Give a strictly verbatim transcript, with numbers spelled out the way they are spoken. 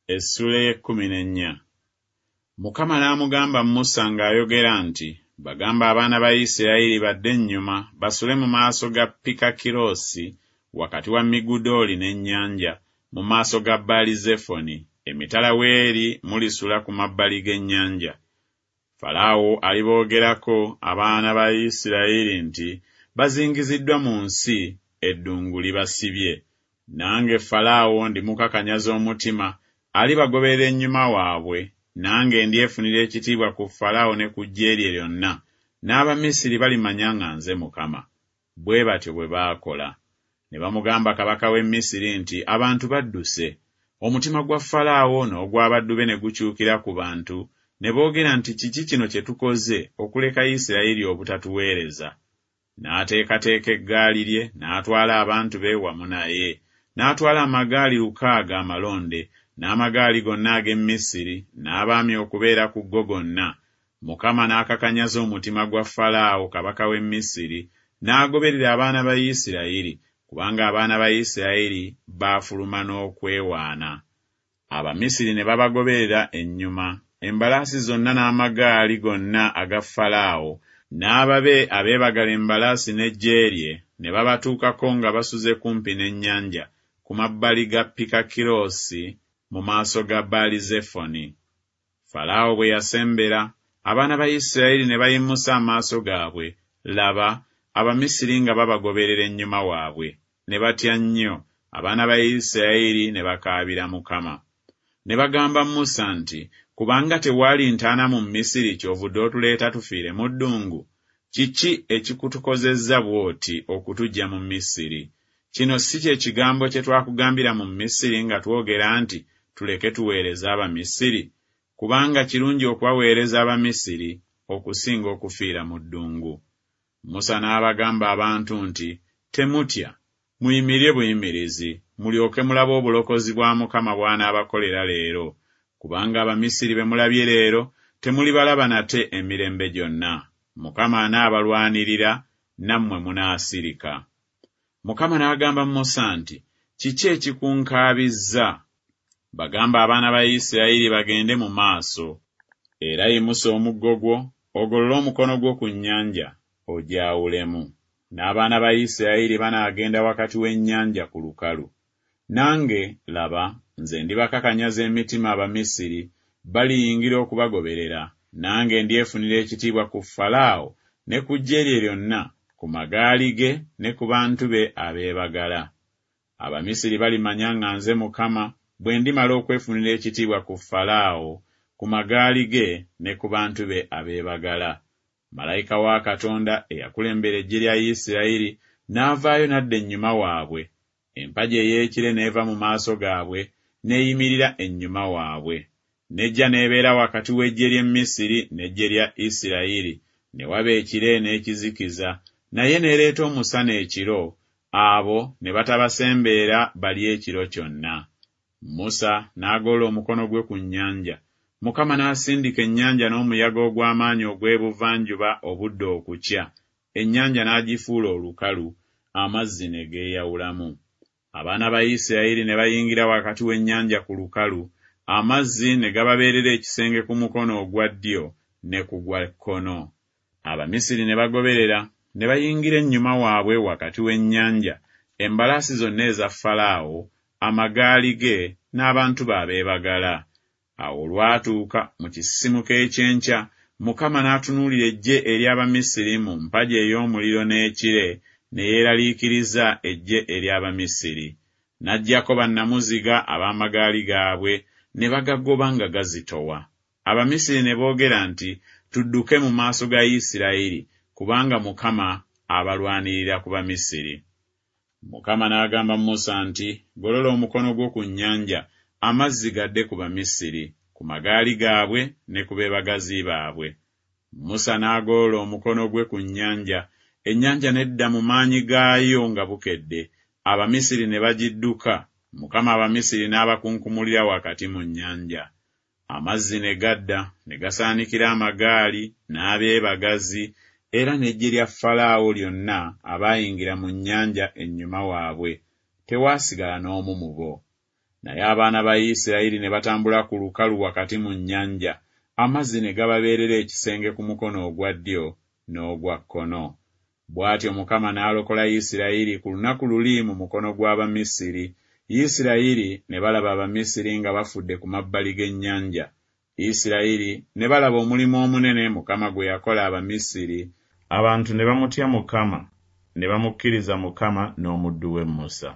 Essula ey'ekkumi n'ennya. Mukama n'amugamba Musa ng'ayogera nti, Bagambe abaana ba Isirayiri badde ennyuma basule mu maaso ga Pikakiroosi wakati wa Migudooli n'ennyanja, mu maaso ga Baali-Zefoni, emitala w'eri mulisula ku mabbali g'ennyanja. Falaawo aliboogerako abaana ba Isirayiri nti, Bazingiziddwa mu nsi, eddungu libasibye. Nange Falaawo ndimukakanyaza omutima, alibagoberera ennyuma waabwe, nange ndyefunira ekitiibwa ku Falaawo ne ku ggye lye lyonna, n'Abamisiri balimanya nga nze Mukama. Bwe batyo bwe baakola. Ne bamugamba kabaka w'e Misiri nti, Abantu badduse. Omutima gwa Falaawo n'ogw'abaddu be ne gukyukira ku bantu, ne boogera nti, Kiki kino kye tukoze okuleka Isirayiri obutatuweereza? N'ateekateeka eggaali lye, n'atwala abantu be wamu naye. N'atwala amagaali lukaaga amalonde, n'amagaali gonna ag'e Misiri, n'abaami okubeera ku go gonna. Mukama n'akakanyaza omutima gwa Falaawo kabaka w'e Misiri, n'agoberera abaana ba Isirayiri, kubanga abaana ba Isirayiri baafuluma n'okwewaana. Abamisiri ne babagoberera ennyuma, embalaasi zonna n'amagaali gonna aga Falaawo, n'ababe abeebagala embalaasi n'eggye lye, ne babatuukako nga basuze kumpi n'ennyanja, ku mabbali ga Pikakiroosi, mu maaso ga Baali-Zefoni. Falaawo bwe yasembera, abaana ba Isirayiri ne bayimusa amaaso gaabwe, laba, Abamisiri nga babagoberera ennyuma waabwe. Ne batya nnyo, abaana ba Isirayiri ne bakaabira Mukama. Ne bagamba Musa nti, Kubanga tewaali ntaana mu Misiri ky'ovudde otuleeta tufiire mu ddungu? Kiki ekikutukozezza bw'oti okutuggya mu Misiri? Kino si kye kigambo kye twakugambira mu Misiri nga twogera nti, Tuleke tuweereze Abamisiri? Kubanga kirungi okubaweereza Abamisiri okusinga okufiira mu ddungu. Musa n'abagamba abantu nti, Temutya, muyimirire buyimirizi, mulyoke mulabe obulokozi bwa Mukama bw'anaabakolera leero. Kubanga Abamisiri be mulabye leero, temulibalaba nate emirembe gyonna. Mukama anaabalwanirira, nammwe munaasirika. Mukama n'agamba Musa nti, Kiki ekikunkaabizza? Bagambe abaana ba Isirayiri bagende mu maaso. Era yimusa omuggo gwo, ogolole omukono gwo ku nnyanja, ogyawulemu. N'abaana ba Isirayiri banaagenda wakati w'ennyanja ku lukalu. Nange, laba, nze ndibakakanyaza emitima Abamisiri, baliyingira okubagoberera, nange ndyefunira ekitiibwa ku Falaawo ne ku ggye lye lyonna, ku magaali ge ne ku bantu be abeebagala. Abamisiri balimanya nga nze Mukama bwe ndimala okwefunira ekitiibwa ku Falaawo, ku magaali ge ne ku bantu be abeebagala. Malayika wa Katonda eyakulembera eggye lya Isirayiri n'avaayo n'adda ennyuma waabwe. Empagi ey'ekire n'eva mu maaso gaabwe, n'eyimirira ennyuma waabwe. N'ejja n'ebeera wakati w'eggye ly'e Misiri n'eggye lya Isirayiri, ne waba ekire n'ekizikiza, naye n'ereeta omusana ekiro, abo ne batabasembeera balye ekiro kyonna. Musa n'agolola omukono gwe ku nnyanja. Mukama n'asindika ennyanja n'omuyaga ogw'amaanyi ogw'ebuvanjuba obudde okukya, ennyanja n'agifuula olukalu, amazzi ne geeyawulamu. Abaana ba Isirayiri ne bayingira wakati w'ennyanja ku lukalu, amazzi ne gababeerera ekisenge ku mukono ogwa ddyo ne ku gwa kkono. Abamisiri ne bagoberera, ne bayingira ennyuma waabwe wakati w'ennyanja, embalaasi zonna eza Falaawo, amagaali ge, n'abantu be abeebagala. Awo olwatuuka mu kisisimuka eky'enkya, Mukama n'atunuulira eggye ery'Abamisiri mu mpagi ey'omuliro n'ekire, ne yeeraliikiriza eggye ery'Abamisiri. N'aggyako bannamuziga ab'amagaali gaabwe, ne bagagoba nga gazitowa. Abamisiri ne boogera nti, Tudduke mu maaso ga Isirayiri, kubanga Mukama abalwanirira ku Bamisiri. Mukama n'agamba Musa nti, Golola omukono gwo ku nnyanja, amazzi gadde ku Bamisiri, ku magaali gaabwe ne ku beebagazi baabwe. Musa n'agolola omukono gwe ku nnyanja, ennyanja n'edda mu maanyi gaayo nga bukedde, Abamisiri ne bagidduka, Mukama Abamisiri n'abakunkumulira wakati mu nnyanja. Amazzi ne gadda, ne gasaanikira amagaali n'abeebagazi, era n'eggye lya Falaawo lyonna abaayingira mu nnyanja ennyuma waabwe, tewaasigala n'omu mu bo. Naye abaana ba Isirayiri ne batambula ku lukalu wakati mu nnyanja, amazzi ne gababeerera ekisenge ku mukono ogwa ddyo n'ogwa kkono. Bw'atyo Mukama n'alokola Isirayiri ku lunaku luli mu mukono gw'Abamisiri, Isirayiri ne balaba Abamisiri nga bafudde ku mabbali g'ennyanja. Isirayiri ne balaba omulimu omunene Mukama gwe yakola Abamisiri, abantu ne bamutya Mukama, ne bamukkiriza Mukama n'omuddu we Musa.